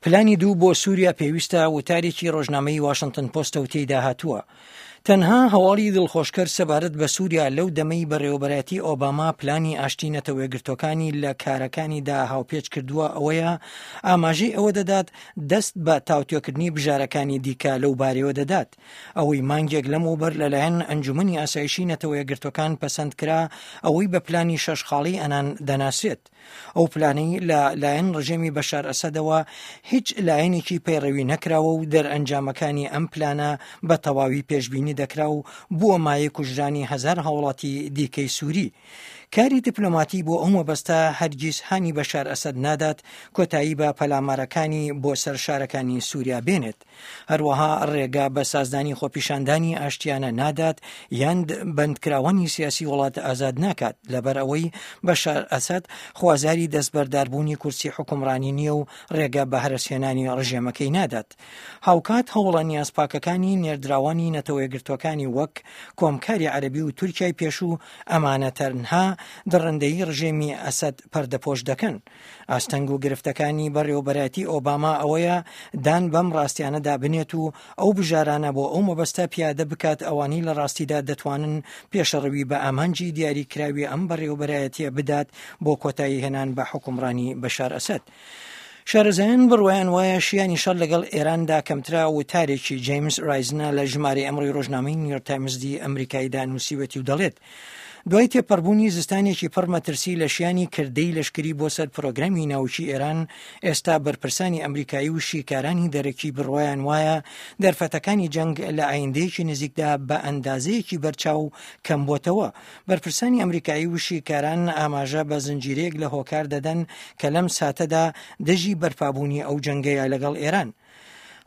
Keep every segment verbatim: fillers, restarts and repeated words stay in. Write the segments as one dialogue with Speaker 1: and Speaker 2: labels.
Speaker 1: پلانی دوو بۆ سووریا پێویستە وتارێکی ڕۆژنامەی واشنتن پۆستە و تێیدا هاتووە تەنها هەواڵی دڵخۆشکەر سەبارەت بە سووریا لەو دەمەی بەڕێوەبەرایەتی ئۆباما پلانی ئاشتی نەتەوەیەکگرتووەکانی لە کارەکانیدا هاوپێچ کردووە ئەوەیە ئاماژەی ئەوە دەدات دەست بە تاوتوێکردنی بژارەکانی دیکە لەو بارەیەوە دەدات. ئەوەی مانگێک لەمەوبەر لەلایەن ئەنجومەنی ئاسایشی نەتەوەیەکگرتووەکان پەسەند کرا ئەوەی بە پلانی شەش خاڵی ئەنان دەناسرێت. ئەو پلانەی لە لایەن ڕژێمی بەشار ئەسەدەوە هیچ لایەنێکی پەیڕەوی نەکراوە و دەرئەنجامەکانی ئەم پلانە بە تەواوی پێشبینی دەکرا و بووە مایەی کوژرانی هەزار هاوڵاتی دیکەی سووری. کاری دیپلۆماتی بۆ ئەو مەبەستە هەرگیز هانی بەشار ئەسەد نادات کۆتایی بە پەلامارەکانی بۆ سەر شارەکانی سووریا بێنێت. هەروەها ڕێگا بە سازدانی خۆپیشاندانی ئاشتیانە نادات یان بەندکراوانی سیاسی وڵات ئازاد ناکات، لەبەر ئەوەی بەشار ئەسەد خوازیاری دەستبەرداربوونی کورسی حوکمڕانی نییە و ڕێگە بە هەرەسهێنانی ڕژێمەکەی نادات. هاوکات هەوڵە نیازپاکەکانی نێردراوانی نەتەوەیەکگرتووەکانی وەک کۆمکاری عەرەبی و تورکیای پێشوو ئەمانە تەنها دڕندەیی ڕژێمی ئەسەد پەردەپۆش دەکەن. ئاستەنگ و گرفتەکانی بەڕێوەبەرایەتی ئۆباما ئەوەیە دان بەم ڕاستیانەدا بنێت و ئەو بژارانە بۆ ئەو مەبەستە پیادە بکات ئەوانەی لە ڕاستیدا دەتوانن پێشەڕەوی بە ئامانجی دیاریکراوی ئەم بەڕێوەبەرایەتیە بدات بۆ کۆتایی هێنان بە حوکمڕانی بەشار ئەسەد. شارەزایان بڕوایان وایە شیانی شەڕ لەگەڵ ئێراندا کەمترە. وتارێکی جەیمس ڕایزنە لە ژمارەی ئەمڕۆی ڕۆژنامەی نیویۆرک تایمزی ئەمریکاییدا نووسیوەتی و دەڵێت دوای تێپەڕبوونی زستانێکی پڕ مەترسی لە شیانی کردەی لەشکری بۆ سەر پرۆگرامی ناوکی ئێران، ئێستا بەرپرسانی ئەمریکایی و شیکارانی دەرەکی بڕوایان وایە دەرفەتەکانی جەنگ لە ئایندەیەکی نزیکدا بە ئەندازەیەکی بەرچاو کەم بۆتەوە. بەرپرسانی ئەمریکایی و شیکاران ئاماژە بە زنجیرەیەک لە هۆکار دەدەن کە لەم ساتەدا دژی بەرپابوونی ئەو جەنگەیە لەگەڵ ئێران.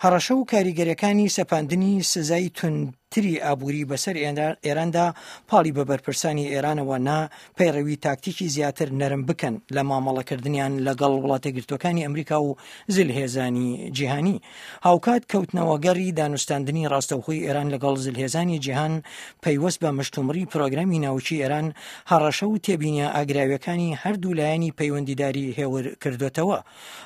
Speaker 1: هەڕەشە و کاریگەریەکانی سەپاندنی سزای توندتری ئابووری بەسەر ئێراندا پاڵی بە بەرپرسانی ئێرانەوە نا پەیڕەوی تاکتیکی زیاتر نەرم بکەن لە مامەڵەکردنیان لەگەڵ وڵاتەیەکگرتووەکانی ئەمریکا و زلهێزانی جیهانی. هاوکات کەوتنەوەگەڕی دانوستاندنی ڕاستەوخۆی ئێران لەگەڵ زلهێزانی جیهان پەیوەست بە مشتومڕی پرۆگرامی ناوکی ئێران هەڕەشە و تێبینیە ئاگراویەکانی هەردوو لایەنی پەیوەندیداری هێور کردوتەوە.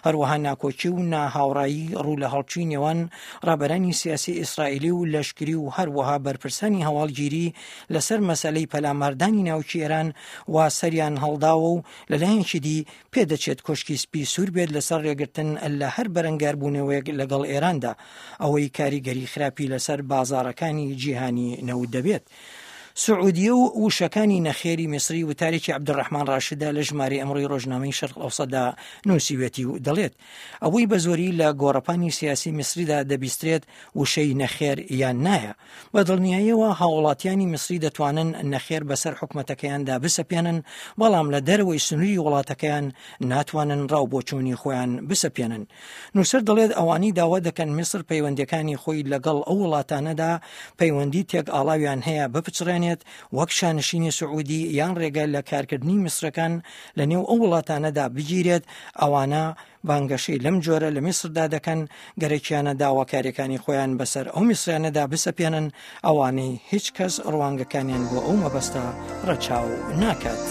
Speaker 1: هەروەها ناکۆکی و ناهاوڕایی ڕوو لە هەڵچووی نێوان ڕابەرانی سیاسی ئیسرائیلی و لەشکری و هەروەها بەرپرسانی هەواڵگیری لەسەر مەسەلەی پەلاماردانی ناوکی ئێران وا سەریان هەڵداوە و لەلایەنێکی دی پێدەچێت کۆشکی سپی سوور بێت لەسەر ڕێگرتن لە هەر بەرەنگاربوونەوەیەک لەگەڵ ئێراندا، ئەوەی کاریگەری خراپی لەسەر بازاڕەکانی جیهانی نەوت دەبێت. سعودیە و وشەکانی نەخێری میسری وتارێکی عەبدولڕەحمان ڕاشدە لە ژمارەی ئەمڕۆی ڕۆژنامەی شەرق ئەوسەتدا نووسیوێتی و دەڵێت ئەوەی بە زۆری لە گۆڕەپانی سیاسی میسریدا دەبیسترێت وشەی نەخێر یان نایە. بە دڵنیاییەوە هاوڵاتیانی میسری دەتوانن نەخێر بەسەر حکومەتەکەیاندا بسەپێنن، بەڵام لە دەرەوەی سنووری وڵاتەکەیان ناتوانن ڕاو بۆچوونی خۆیان بسەپێنن. نووسەر دەڵێت ئەوانەی داوا دەکەن میسر پەیوەندیەکانی خۆی لەگەڵ ئەو وڵاتانەدا پەیوەندی تێک ئاڵاویان هەیە بپچڕێنێت وەک شانشینی سعودی یان ڕێگە لە کارکردنی میسرەکان لە نێو ئەو وڵاتانەدا بگیرێت، ئەوانە بانگەشەی لەم جۆرە لە میسردا دەکەن گەرەکیانە داواکاریەکانی خۆیان بەسەر ئەو میسریانەدا بسەپێنن ئەوانەی هیچ کەس ڕوانگەکانیان بۆ ئەو مەبەستە ڕەچاو ناکات.